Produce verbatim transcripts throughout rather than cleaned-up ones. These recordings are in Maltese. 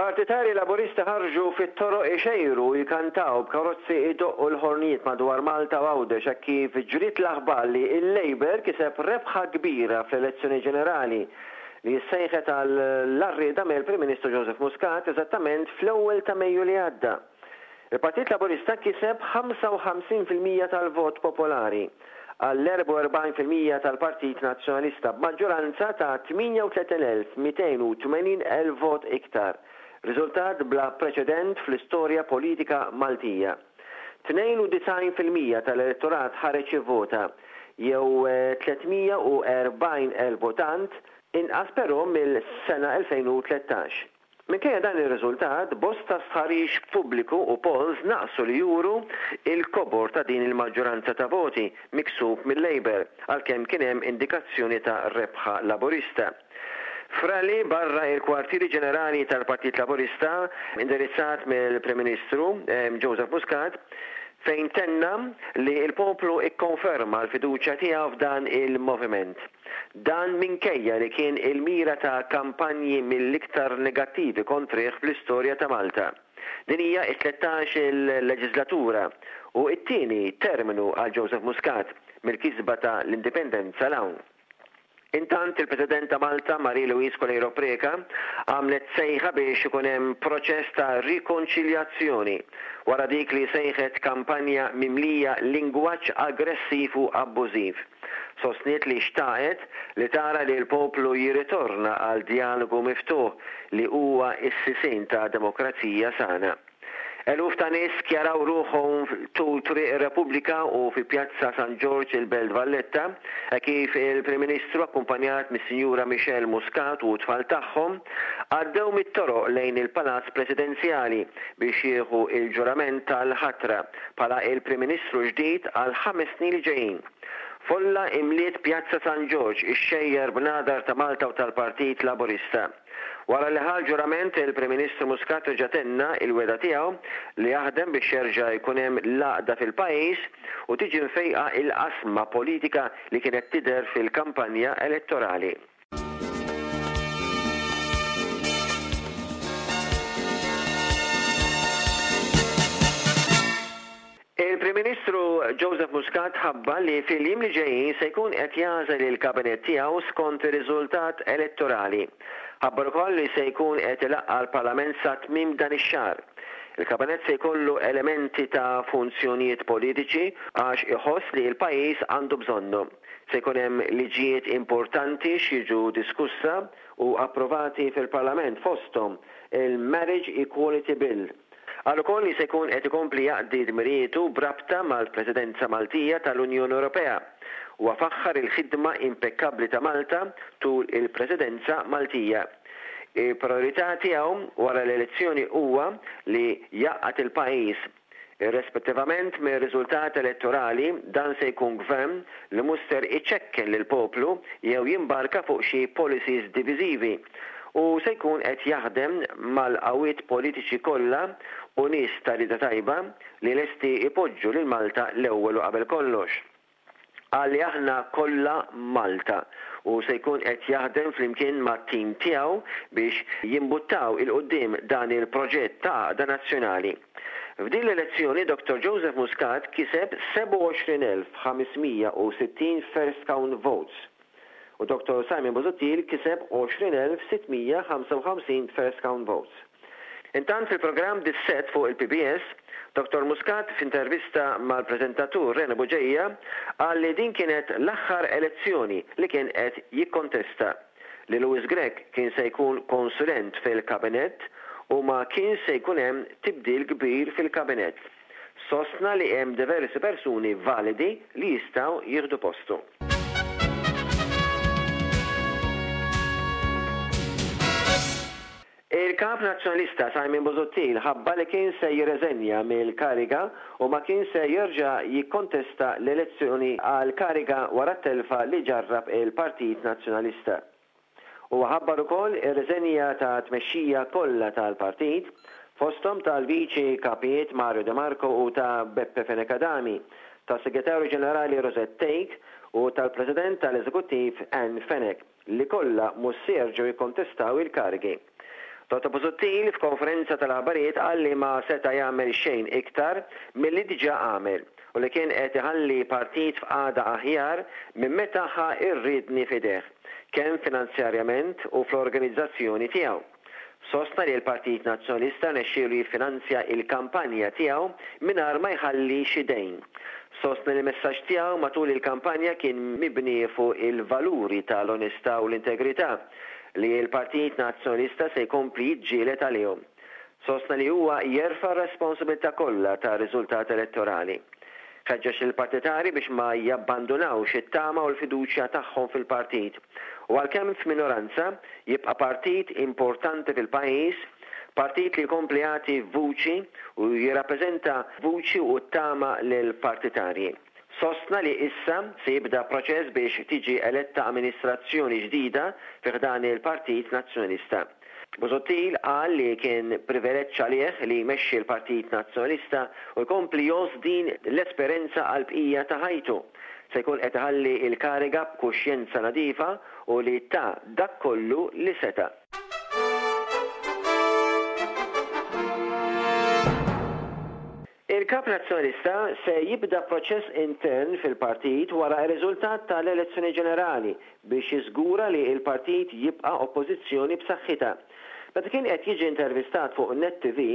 Partitarji Laburisti ħarġu fit-toroq ixejru u jkantaw b'karozzi idoqqu l-ħornijiet madwar Malta u Għawdex hekk kif ġriet l-aħbar li l-Labour kiseb rebħa kbira fl-elezzjoni ġenerali li ssejħet għall-għarrieda mill-Prim Ministru Joseph Muscat eżattament fl-ewwel ta' Mejju li għadda. Il-Partit Laburista kiseb ħamsa u ħamsin fil-mija tal-vot popolari għall-erbgħa u erbgħin fil-mija tal-Partit Nazzjonalista b'maġġoranza ta' tmienja u tletin elf mitejn u tmenin elf vot iktar, riżultat bla preċedent fl-istorja politika Maltija. Tnejn u disgħin fil-mija tal-elettorat ħareġ jivvota, jew tliet mija u erbgħin elf votant, inqas però mill-sena elfejn u tlettax. Minkejja dan ir-riżultat, bosta stħarriġ pubbliku u polls naqsu li juru il-kobor ta' din il-maġġoranza ta' voti miksub mill-Labour, għalkemm kien hemm indikazzjoni ta' rebħa Laburista. F'rally barra il-kwartieri ġenerali tal-Partit Laburista, indirizzat mill-Prim Ministru, eh, Joseph Muscat, fejn tenna li l-poplu ikkonferma l-fiduċja tiegħu f'dan il-moviment. Dan minkejja li kien il-mira ta' kampanji mill-iktar negattivi kontrih fl-istorja ta' Malta. Din hija t-tlettax il-leġislatura u t-tieni terminu għal Joseph Muscat mill-kisba ta' l-indipendenza l-hawn. Intant il-President ta' Malta, Marie-Louise Coleiro Preca, għamlet sejħa biex ikun hemm proċess ta' rikonċiljazzjoni wara dik li sejħet kampanja mimlija lingwaġġ aggressiv u abbużiv. Sostniet li xtaqet li tara li l-poplu jirritorna għal dialogu miftuħ li huwa s-sisien ta' demokrazija sana. Eluf ta' nies skjaraw ruħhom tul Triq ir-Repubblika u fi Pjazza San Ġorġ il-Belt Valletta, e kif il-Prim Ministru akkumpanjat mis-Sinjura Michelle Muscat u t-tfal tagħhom għaddew mit-toroq lejn il-Palazz Presidenzjali biex jieħu il-ġurament tal-ħatra bħala il-Prim Ministru ġdid għal ħames snin li ġejjin. Folla imliet Pjazza San Ġorġ ixxejjer b'nadar ta' Malta u tal-Partit Laburista. Wara li ħa l-ġurament, il-Prim Ministru Muscat reġa' tenna il-wegħda tiegħu li jaħdem biex jerġa' jkun hemm l-għaqda fil-pajjiż u tiġi mfejqa il-qasma politika li kienet tidher fil-kampanja elettorali. Il-Prim Ministru Joseph Muscat ħabbar li fil-jiem li ġejjin se jkun qed jagħżel il-kabinet tiegħu skont ir-riżultat elettorali. Ħabbar ukoll li se jkun qed ilaqqa' l-Parlament sa tmiem dan ix-xahar. Il-kabinet se jkollu elementi ta' funzjonijiet politiċi għax iħoss li l-pajjiż għandu bżonnu. Se jkun hemm liġijiet importanti x'jiġu diskussa u approvati fil-Parlament fosthom il-Marriage Equality Bill. Qal ukoll li se jkun qed ikompli jaqdi dmirijietu b'rabta mal-Presidenza Maltija tal-Unjoni Ewropea. Huwa faħħar il-ħidma impekkabbli ta' Malta tul il-Presidenza Maltija. Il-priorità tiegħu wara l-elezzjoni huwa li jaqgħad il-pajjiż. Irrispettivament mir-riżultat elettorali, dan se jkun gvern li mhux ser iċekken lill-poplu jew jimbarka fuq xi policies diviżivi u se jkun qed jaħdem mal-qawwiet politiċi kollha u nies ta' rieda tajba li lesti ipoġġu lil Malta l-ewwel u qabel kollox. Qal li aħna kollha Malta u se jkun qed jaħdem flimkien mat-tim tiegħu biex jimbuttaw il-quddiem dan il-proġett ta' għaqda nazzjonali. F'din l-elezzjoni Doktor Joseph Muscat kiseb sebgħa u għoxrin elf ħamesmija u sittin first count votes u Doktor Simon Busuttil kiseb għoxrin elf sittmija ħamsa u ħamsin first count votes. Intant fil-programm Dissett fuq il-P B S, Doktor Muscat f'intervista mal-preżentatur Rene Bugeja qal li din kienet l-aħħar elezzjoni li kien qed jikkontesta, li Louis Grech kien se jkun konsulent fil-kabinett u ma kien se jkun hemm tibdil kbir fil-kabinett. Sostna li hemm diversi persuni validi li jistgħu jieħdu postu. Il-kap nazzjonalista Simon Busuttil ħabba li kien se jirreżenja mill-kariga u ma kien se jerġa' jikkontesta l-elezzjoni għal kariga wara t-telfa li ġarrab il-Partit Nazzjonalista. Huwa ħabbar ukoll ir-reżenja ta' tmexxija kollha tal-partit, fosthom tal-viċi kapijiet Mario De Marco u ta' Beppe Fenech Adami, tas-Segretarju Ġenerali Rosette Thake u tal-President tal-Eżekuttiv Ann Fenech, li kollha mhux se jerġgħu jikkontestaw il-karigi. Dottor Busuttil f'konferenza tal-aħbarijiet qal li ma seta' jagħmel xejn iktar milli diġà għamel u li kien qed iħalli partit f'qagħda aħjar minn meta ħa r-riedni f'idejh, kemm finanzjarjament u fl-organizzazzjoni tiegħu. Sostna li l-Partit Nazzjonalista rnexxielu jiffinanzja l-kampanja tiegħu mingħajr ma jħalli xi dejn. Sostna li l-messaġġ tiegħu matul il-kampanja kien mibni fuq il-valuri tal-onestà u l-integrità li l-Partit Nazzjonalista se jkompli jiġġieled għalihom. Sostna li huwa jerfa' r-responsabilità kollha tar-riżultat elettorali. Ħeġġeġ lill-partitari biex ma jabbandunawx it-tama u l-fiduċja tagħhom fil-partit u għalkemm f'minoranza jibqa' partit importanti fil-pajjiż, partit li jkompli jagħti vuċi u jirrappreżenta vuċi u t-tama lill-partitarji. Sostna li issa se jibda proċess biex tiġi eletta amministrazzjoni ġdida fi ħdan il-Partit Nazzjonalista. Busuttil qal li kien privileġġ għalih li jmexxi l-Partit Nazzjonalista u jkompli jgħożż din l-esperenza għall-bqija ta' ħajtu. Se jkun qed iħalli l-kariga b'kuxjenza nadifa u li ta dak kollu li seta'. Il-Kap Nazzjonalista se jibda proċess intern fil-partit wara r-riżultat tal-elezzjoni ġenerali biex jiżgura li l-partit jibqa' oppożizzjoni b'saħħitha. Meta kien qed jiġi intervistat fuq Net T V,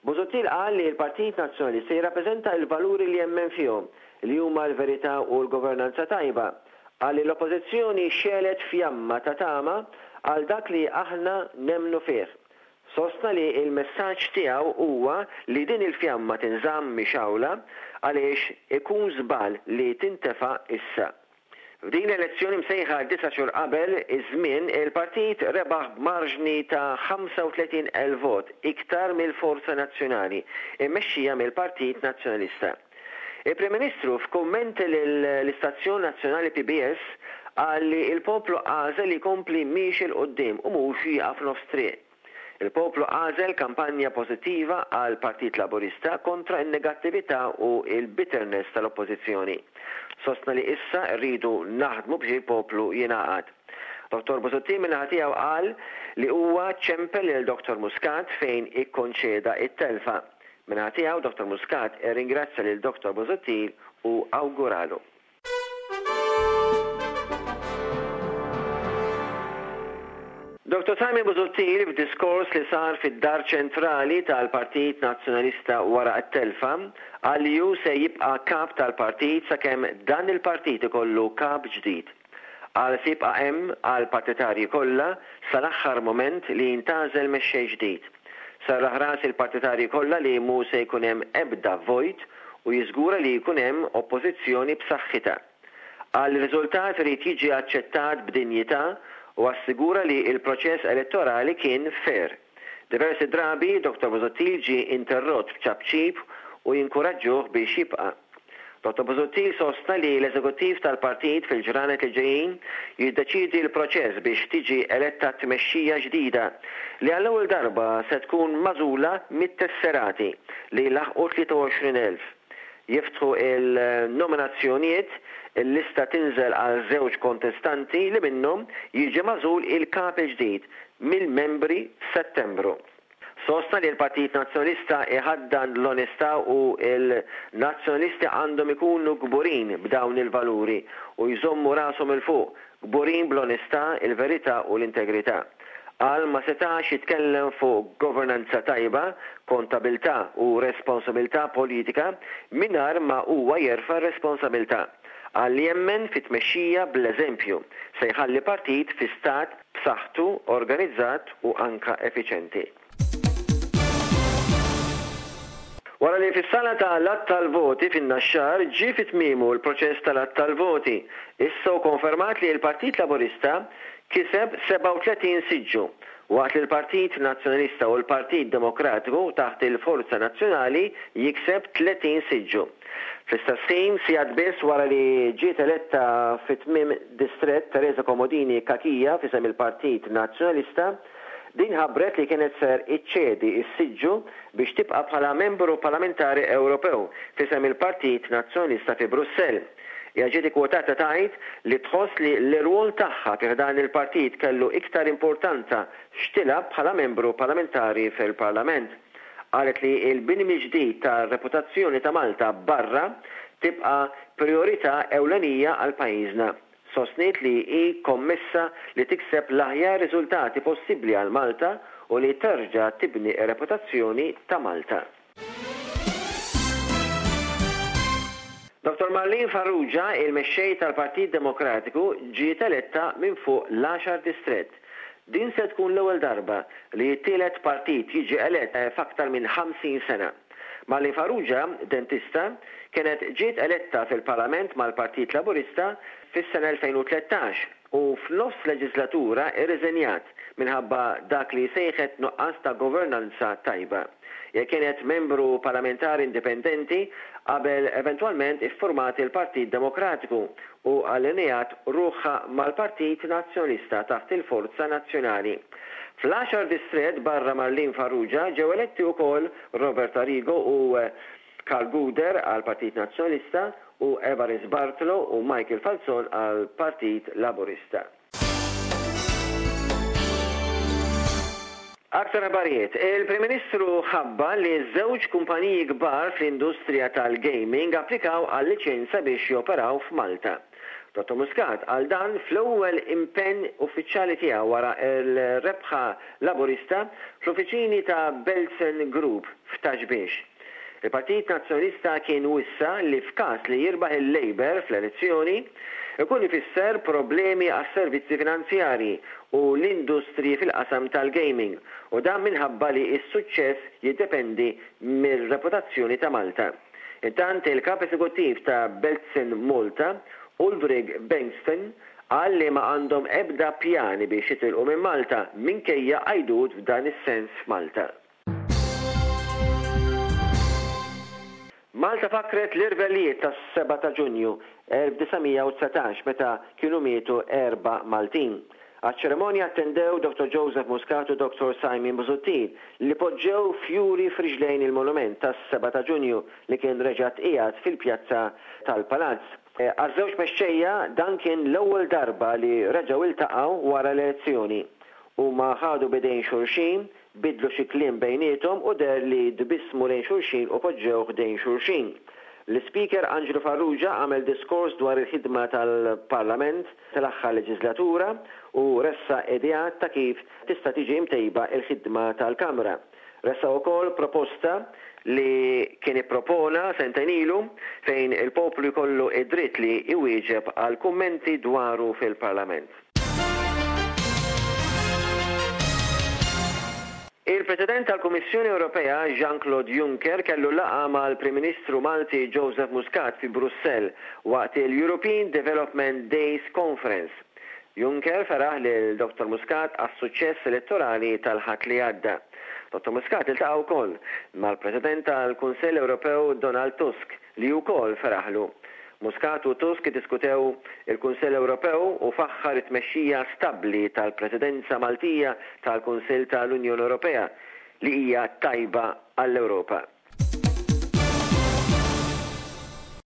Busuttil qal li l-Partit Nazzjonalista jirrappreżenta l-valuri li jemmen fihom, li huma l-verità u l-governanza tajba. Qal li l-oppożizzjoni xegħlet fjamma ta' tama għal dak li aħna nemmnu fih. Sostna li l-messaġġ tiegħu huwa li din il-fjamma tinżamm mixgħula għaliex ikun żball li tintefa' issa. F'din l-elezzjoni msejħa disa' xhur qabel iż-żmien, il-partit rebaħ b'marġni ta' ħamsa u tletin elf vot iktar mill-Forza Nazzjonali, immexxija mill-Partit Nazzjonalista. Il-Prim Ministru f'kummenti lill-Istazzjon Nazzjonali P B S qal li l-poplu għażel li jkompli miexi 'l quddiem u mhux jieqaf nofs triq. Il-poplu għażel kampanja pożittiva għal Partit Laburista kontra n-negattività u l-bitterness tal-oppożizzjoni. Sostna li issa rridu naħdmu biex il-poplu jingħaqad. Dottor Busuttil min-naħa tiegħu qal li huwa ċempel lil Dottor Muscat fejn ikkonċeda it-telfa. Min-naħa tiegħu Dottor Muscat irringrazzja lil Dottor Busuttil u awguralu. Dottor Simon Busuttil f'diskors li sar fid-dar ċentrali tal-Partit Nazzjonalista wara t-telfa qal li hu se jibqa' kap tal-partit sakemm dan il-partit ikollu kap ġdid. Qal se jibqa' hemm għal partitarji kollha sal-aħħar moment li jintgħażel mexxej ġdid. Sarraħ ras il-partitarji kollha li mhu se jkun hemm ebda vojt u jiżgura li jkun hemm oppożizzjoni b'saħħitha. Qal li r-riżultat irid jiġi aċċettat b'dinjità u assigura li l-proċess elettorali kien fair. Diversi drabi Dottor Busuttil ġie interrott b'ċapċip u jinkuraġġuh biex jibqa'. Dottor Busuttil sostna li l-eżekuttiv tal-partit fil-ġranet li ġejjin jiddeċidi l-proċess biex tiġi eletta tmexxija ġdida li għall-ewwel darba se tkun magħżula mit-tesserati li laħqu tlieta u għoxrin elf. Jiftħu il-nominazzjonijiet, il-lista tinżel għal żewġ kontestanti li minnhom jiġi magħżul il-kap il-ġdid mill-membri f'Settembru. Sostna li l-Partit Nazzjonalista iħaddan l-onestà u l-nazzjonalisti għandhom ikunu kburin b'dawn il-valuri u jżommu rashom il fuq, kburin bl-onestà, il-verità u l-integrità. Qal ma setax jitkellem fuq governanza tajba, kontabilità u responsabilità politika mingħajr ma huwa jerfa' responsabilità. Qal li jemmen fit-tmexxija bl-eżempju se jħalli partit fi stat b'saħħtu, organizzat u anka effiċjenti. Wara li fis-sala tal-att tal-voti fin-Naxxar ġie fi tmiemu l-proċess tal-att tal-voti, issa hu konfermat li l-Partit Laburista kiseb sebgħa u tletin siġġu, waqt li l-Partit Nazzjonalista u l-Partit Demokratiku taħt il-Forza Nazzjonali jikseb tletin siġġu. Fl-istess ħin, sigħat biss wara li ġiet eletta fi tmiem distrett Teresa Comodini Cachia f'isem il-Partit Nazzjonalista, Din ħabbret li kienet ser iċċedi s-siġġu biex tibqa' bħala membru parlamentari Ewropew f'isem il-Partit Nazzjonalista fi Brussell. Hija ġiet ikkwotata tgħid li tħoss li l-irwol tagħha fi ħdan il-partit kellu iktar importanza x'tilgħab bħala membru parlamentari fil-Parlament. Qalet li l-bini mill-ġdid tar-reputazzjoni ta' Malta barra tibqa' priorità ewlenija għal pajjiżna. Sostniet li hi kommessa li tikseb l-aħjar riżultati possibbli għal Malta u li terġa' tibni r-reputazzjoni ta' Malta. Dottor Marlene Farrugia, il-mexxej tal-Partit Demokratiku, ġiet eletta minn fuq l-għaxar distrett. Din se tkun l-ewwel darba li t-tielet partit jiġi elett f'aktar minn ħamsin sena. Marlene Farrugia, dentista, kienet ġiet eletta fil-Parlament mal-Partit Laburista fis-sena elfejn u tlettax u f'nofs leġislatura irriżenjat minħabba dak li sejħet nuqqas ta' governanza tajba. Hija kienet membru parlamentari indipendenti qabel eventwalment iffurmat il-Partit Demokratiku u allineat ruħha mal-Partit Nazzjonalista taħt il-Forza Nazzjonali. Fl-għaxar distrett barra Marlene Farrugia ġew eletti wkoll Robert Arrigo u Karl Gouder għal Partit Nazzjonalista u Evarist Bartolo u Michael Falzon għal Partit Laburista. Aktar aħbarijiet. Il-Prim Ministru ħabba li żewġ kumpaniji kbar fl-industrija tal-gaming applikaw għal liċenzja biex joperaw f'Malta. Dottor Muscat għal dan fl-ewwel impenn uffiċjali tiegħu wara l-rebħa Laburista fl-uffiċini ta' Betsson Group f'Ta' Xbiex. Il-Partit Nazzjonalista kien wissa li f'każ li jirbaħ il-Labour fl-elezzjoni ikun ifisser problemi għas-servizzi finanzjarji u l-industriji fil-qasam tal-gaming, u dan minħabba li s-suċċess jiddependi mir-reputazzjoni ta' Malta. Intant il-kap eżekuttiv ta' Betsson Malta, Ulrik Bengtsson, qal li ma għandhom ebda pjani biex jitilqu minn Malta minkejja għajdut f'dan is-sens f'Malta. Malta fakret l-irvellijiet tas-seba ta' Ġunju elf disa' mija u dsatax meta kienu mietu erba' Maltin. Għaċ-ċerimonja attendew Dottor Joseph Muscat u Dottor Simon Busuttil li poġġew fjuri f'riġlejn il-monument tas-seba ta' Ġunju li kien reġa' tqiegħed fil-pjazza tal-Palazz. Għaż-żewġ mexxejja dan kien l-ewwel darba li reġgħu iltaqgħu wara l-elezzjoni. Huma ħadu bidejn xulxin, bidlu xi kliem bejniethom u deher li dbissmu lejn xulxin u poġġew ħdejn xulxin. L-Speaker Angelo Farrugia għamel diskors dwar il-ħidma tal-Parlament tal-aħħar leġislatura u ressa ideat ta' kif tista' tiġi mtejba il-ħidma tal-Kamra. Ressa wkoll proposta li kien ippropona sentejn ilu fejn il-poplu jkollu id-dritt li iwieġeb għal kummenti dwaru fil-Parlament. Il-President tal-Kummissjoni Ewropea Jean-Claude Juncker kellu laqgħa mal-Prim Ministru Malti Joseph Muscat fi Brussell waqt il-European Development Days Conference. Juncker feraħ lil Dottor Muscat għas-suċċess elettorali tal-Ħadd li għadda. Dottor Muscat iltaqa' wkoll mal-President tal-Kunsell Ewropew Donald Tusk li wkoll feraħlu. Muscat u Tusk iddiskutew il-Kunsell Ewropew u faħħar it-tmexxija stabbli tal-Presidenza Maltija tal-Kunsill tal-Unjoni Ewropea li hija tajba għall-Ewropa.